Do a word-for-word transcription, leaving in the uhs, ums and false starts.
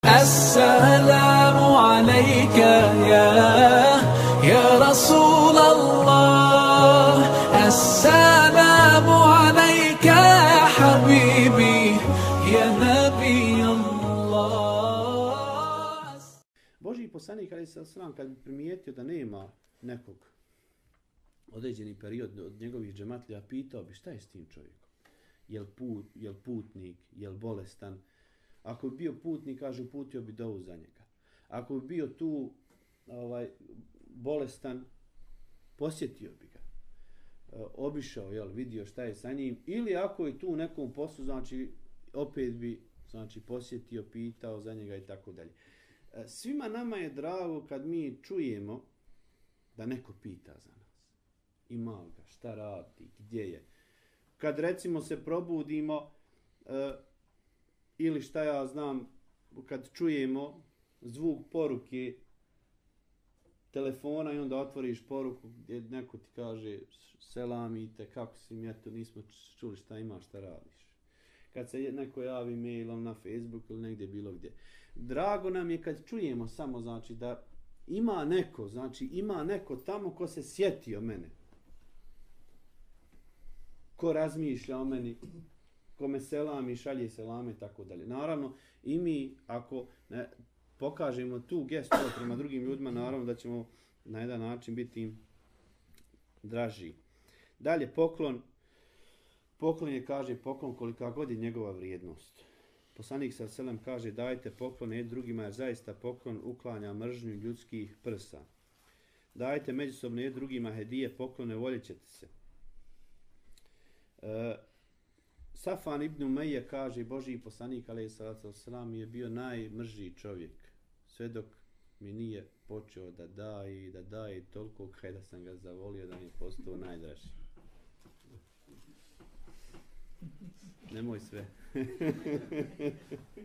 Assalamu alayka ya ya Rasul Allah. Assalamu alayka ya habibi ya Nabi Allah. Božji poslanik alejhi selam kad bi primijetio da nema nekog određeni period od njegovih džematlija, pitao bi šta je s tim čovjekom? Jel put, jel putnik, jel bolestan? Ako bi bio putnik, kaže, uputio bi dovu za njega. Ako bi bio tu ovaj, bolestan, posjetio bi ga. E, obišao, jel, vidio šta je sa njim. Ili ako je tu u nekom poslu, znači, opet bi znači, posjetio, pitao za njega i tako dalje. E, svima nama je drago kad mi čujemo da neko pita za nas. Ima li ga, šta radi, gdje je. Kad recimo se probudimo, e, ili šta ja znam, kad čujemo zvuk poruke telefona i onda otvoriš poruku gdje neko ti kaže selamite, kako si mi, eto nismo čuli šta imaš, šta radiš. Kad se neko javi mailom na Facebook ili negdje bilo gdje. Drago nam je kad čujemo samo, znači da ima neko, znači ima neko tamo ko se sjetio mene. Ko razmišlja o meni, kome selam i šalje selame i tako dalje. Naravno, i mi ako ne, pokažemo tu gestu prema drugim ljudima, naravno da ćemo na jedan način biti im draži. Dalje, poklon. Poklon je, kaže, poklon kolika god je njegova vrijednost. Poslanik sa selam kaže, dajte poklone drugima, jer zaista poklon uklanja mržnju ljudskih prsa. Dajte međusobno drugima hedije, poklone, voljet ćete se. E, Safan ibn Umeje kaže, Božji poslanik alejhi salatu vesselam je bio najmržiji čovjek, sve dok mi nije počeo da daje i da daje toliko kaj da sam ga zavolio da mi je postao najdraži. Nemoj sve.